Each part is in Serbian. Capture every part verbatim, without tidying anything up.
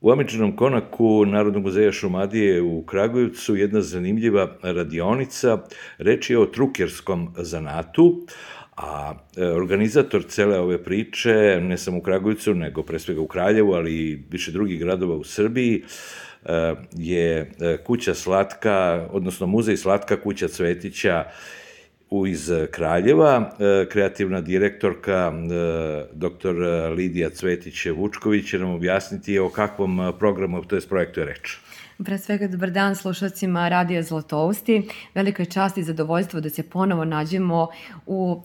U Amidžinom konaku Narodnog muzeja Šumadije u Kragujevcu jedna zanimljiva radionica. Reč je o trukerskom zanatu, a organizator cele ove priče, ne samo u Kragujevcu, nego pre svega u Kraljevu, ali i više drugih gradova u Srbiji, je kuća Slatka, odnosno muzej Slatka kuća Cvetića iz Kraljeva. Kreativna direktorka doktor Lidija Cvetić-Vučković će nam objasniti o kakvom programu, to je projektu je reč. Pre svega, dobar dan slušalcima Radija Zlatousti. Velika je čast i zadovoljstvo da se ponovo nađemo u uh,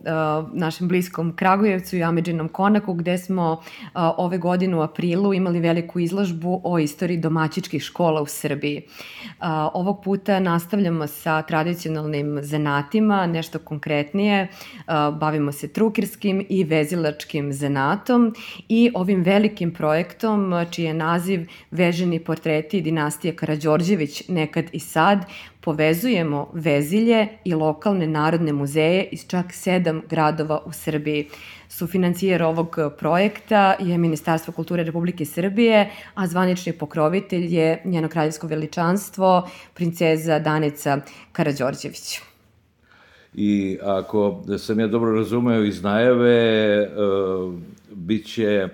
našem bliskom Kragujevcu i Amidžinom konaku, gde smo uh, ove godine u aprilu imali veliku izložbu o istoriji domaćičkih škola u Srbiji. Uh, ovog puta nastavljamo sa tradicionalnim zanatima, nešto konkretnije. Uh, bavimo se trukerskim i vezilačkim zanatom i ovim velikim projektom, čiji je naziv Veženi portreti dinastije Karađorđević nekad i sad, povezujemo vezilje i lokalne narodne muzeje iz čak sedam gradova u Srbiji. Sufinancijer ovog projekta je Ministarstvo kulture Republike Srbije, a zvanični pokrovitelj je njeno kraljevsko veličanstvo, princeza Danica Karađorđević. I ako sam ja dobro razumeo iz najave, bit će,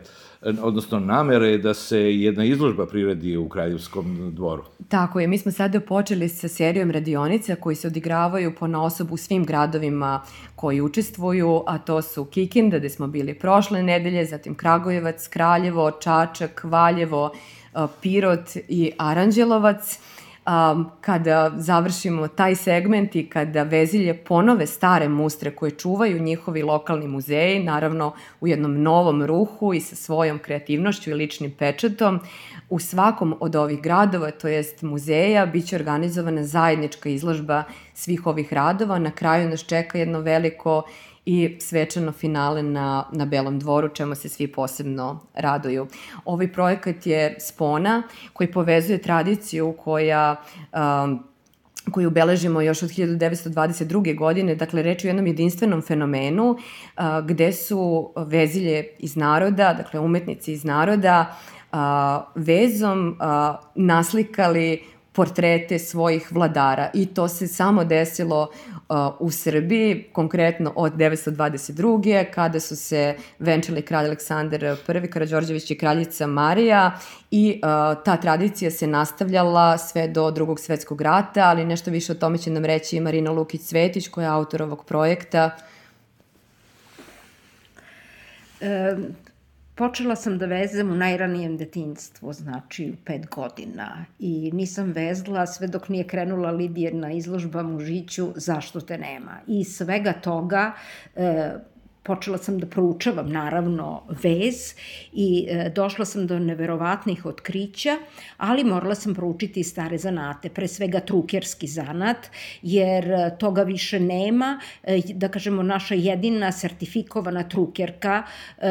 odnosno namere je da se jedna izložba priredi u Kraljevskom dvoru. Tako je, mi smo sada počeli sa serijom radionica koji se odigravaju ponaosob u svim gradovima koji učestvuju, a to su Kikinda, gde smo bili prošle nedelje, zatim Kragujevac, Kraljevo, Čačak, Valjevo, Pirot i Aranđelovac. Um, kada završimo taj segment i kada vezilje ponove stare mustre koje čuvaju njihovi lokalni muzeji, naravno u jednom novom ruhu i sa svojom kreativnošću i ličnim pečatom, u svakom od ovih gradova, to jest muzeja, bit će organizovana zajednička izložba svih ovih radova. Na kraju nas čeka jedno veliko i svečano finale na, na Belom dvoru, čemu se svi posebno raduju. Ovaj projekat je spona koji povezuje tradiciju koja um, koju beležimo još od hiljadu devetsto dvadeset druge. godine, dakle reč je o jednom jedinstvenom fenomenu uh, gde su vezilje iz naroda, dakle umetnici iz naroda, uh, vezom uh, naslikali portrete svojih vladara i to se samo desilo uh, u Srbiji, konkretno od devetsto dvadeset druge. kada su se venčali kralj Aleksandar Prvi Karađorđević i kraljica Marija i uh, ta tradicija se nastavljala sve do Drugog svetskog rata, ali nešto više o tome će nam reći i Marina Lukić-Cvetić koja je autor ovog projekta. E... Počela sam da vezem u najranijem detinjstvu, znači u pet godina. I nisam vezla sve dok nije krenula Lidijina izložba Mužiću Zašto te nema. I svega toga e, počela sam da proučavam, naravno, vez i e, došla sam do neverovatnih otkrića, ali morala sam proučiti i stare zanate, pre svega trukerski zanat, jer e, toga više nema. E, da kažemo, naša jedina sertifikovana trukerka e,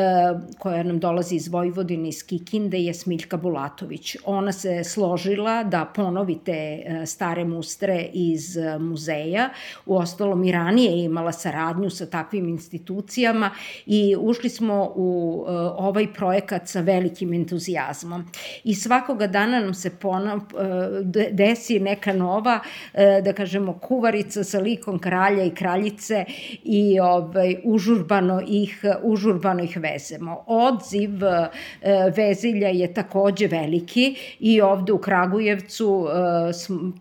koja nam dolazi iz Vojvodine, iz Kikinde, je Smiljka Bulatović. Ona se složila da ponovi te e, stare mustre iz e, muzeja. Uostalom, i ranije je imala saradnju sa takvim institucijama i ušli smo u uh, ovaj projekat sa velikim entuzijazmom. I svakoga dana nam se ponov, uh, desi neka nova, uh, da kažemo, kuvarica sa likom kralja i kraljice i ovaj, užurbano, ih, užurbano ih vezemo. Odziv uh, vezilja je takođe veliki i ovde u Kragujevcu uh,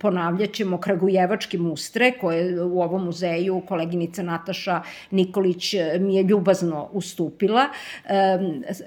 ponavljat ćemo kragujevački mustre koje u ovom muzeju koleginica Nataša Nikolić mi je ljubazno ustupila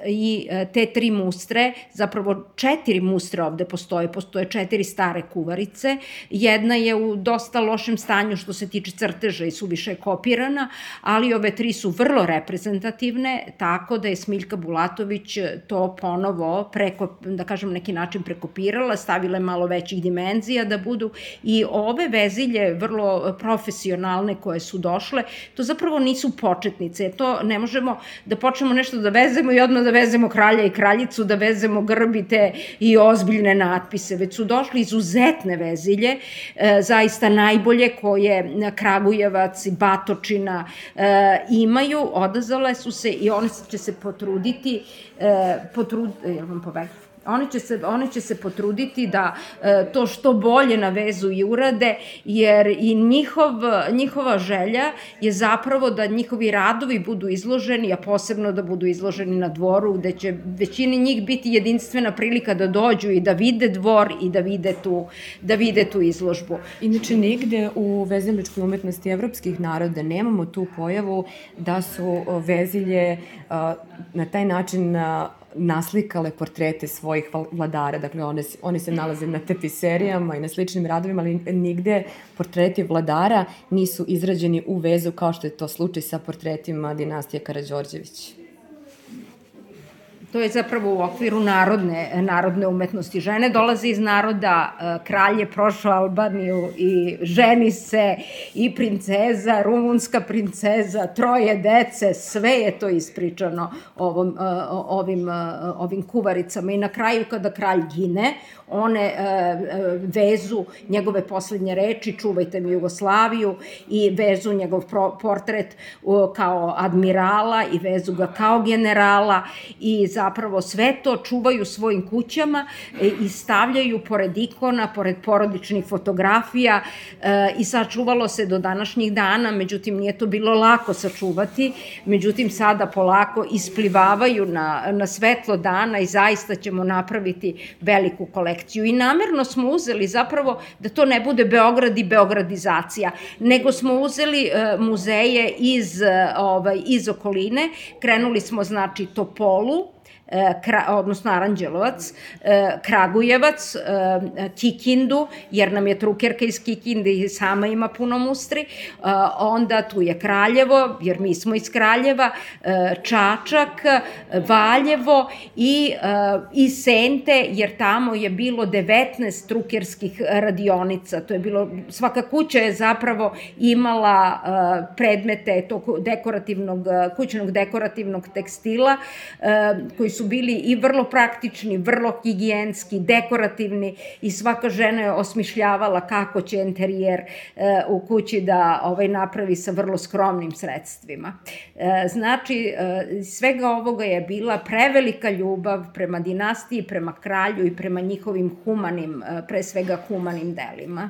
i te tri mustre, zapravo četiri mustre ovde postoje, postoje četiri stare kuvarice, jedna je u dosta lošem stanju što se tiče crteža i suviše je kopirana, ali ove tri su vrlo reprezentativne, tako da je Smiljka Bulatović to ponovo preko, da kažem, neki način prekopirala, stavila je malo većih dimenzija da budu i ove vezilje vrlo profesionalne koje su došle, to zapravo nisu početnice, to ne možemo da počnemo nešto da vezemo i odmah da vezemo kralja i kraljicu, da vezemo grbite i ozbiljne natpise, već su došli izuzetne vezilje, e, zaista najbolje koje Kragujevac i Batočina e, imaju, odazvale su se i one će se potruditi, e, potrud, jel vam pobegli? Oni će se, oni će se potruditi da to što bolje na vezu i urade, jer i njihov, njihova želja je zapravo da njihovi radovi budu izloženi, a posebno da budu izloženi na dvoru, gde će većini njih biti jedinstvena prilika da dođu i da vide dvor i da vide tu, da vide tu izložbu. Inače, nigde u veziličkoj umetnosti evropskih naroda nemamo tu pojavu da su vezilje na taj način naslikale portrete svojih vladara. Dakle, one, oni se nalaze na tapiserijama i na sličnim radovima, ali nigde portreti vladara nisu izrađeni u vezu kao što je to slučaj sa portretima dinastije Karađorđević. To je zapravo u okviru narodne, narodne umetnosti. Žene dolaze iz naroda, kralj je prošao Albaniju i ženi se i princeza, rumunska princeza, troje dece, sve je to ispričano ovom, ovim, ovim kuvaricama. I na kraju kada kralj gine, one vezu njegove poslednje reči, čuvajte mi Jugoslaviju, i vezu njegov portret kao admirala i vezu ga kao generala i zapravo sve to čuvaju svojim kućama i stavljaju pored ikona, pored porodičnih fotografija i sačuvalo se do današnjih dana, međutim nije to bilo lako sačuvati, međutim sada polako isplivavaju na, na svetlo dana i zaista ćemo napraviti veliku kolekciju. I namerno smo uzeli zapravo da to ne bude Beograd i beogradizacija, nego smo uzeli muzeje iz, ovaj, iz okoline, krenuli smo znači Topolu, odnosno Aranđelovac, Kragujevac, Kikindu, jer nam je trukerka iz Kikinde i sama ima puno mustri, onda tu je Kraljevo, jer mi smo iz Kraljeva, Čačak, Valjevo i, i Sente, jer tamo je bilo devetnaest trukerskih radionica. To je bilo, svaka kuća je zapravo imala predmete tog dekorativnog, kućnog dekorativnog tekstila, koji su bili i vrlo praktični, vrlo higijenski, dekorativni i svaka žena je osmišljavala kako će interijer u kući da ovaj, napravi sa vrlo skromnim sredstvima. Znači, svega ovoga je bila prevelika ljubav prema dinastiji, prema kralju i prema njihovim humanim, pre svega humanim delima.